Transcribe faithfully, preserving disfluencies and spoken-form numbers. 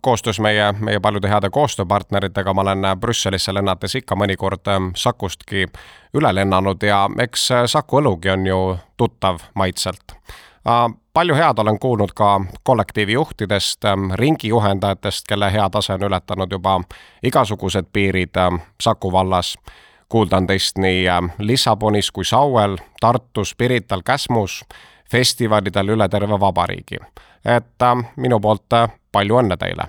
Koostöös meie, meie paljude heade koostööpartneritega ma olen Brüsselisse lennates ikka mõnikord Sakustki üle lennanud ja eks Saku õlugi on ju tuttav maitselt. Palju head olen kuulnud ka kollektiivi juhtidest, ringijuhendajatest, kelle hea tase on ületanud juba igasugused piirid Saku vallas. Kuuldan teist nii Lissabonis kui Sauel, Tartus, Pirital, Käsmus, festivalidel üle terve vabariigi. Et minu poolt palju õnne teile!